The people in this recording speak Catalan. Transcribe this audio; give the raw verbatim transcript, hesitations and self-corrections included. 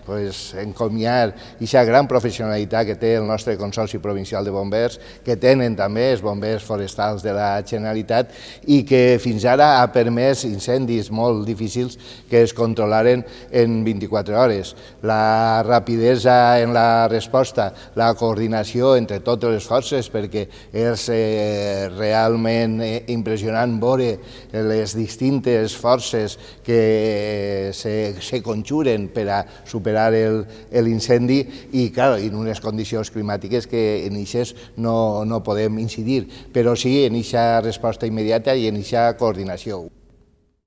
pues, encomiar aquesta gran professionalitat que té el nostre Consorci Provincial de Bombers, que tenen també els bombers forestals de la Generalitat i que fins ara ha permès incendis molt difícils que es controlaren en vint-i-quatre hores. La rapidesa en la resposta, la coordinació entre totes les forces, perquè és eh, realment eh, impressionant veure les distintes forces que se, se conjuren per a superar l'incendi i, clar, en unes condicions climàtiques que en eixes no, no podem incidir, però sí en aquesta resposta immediata i en aquesta coordinació.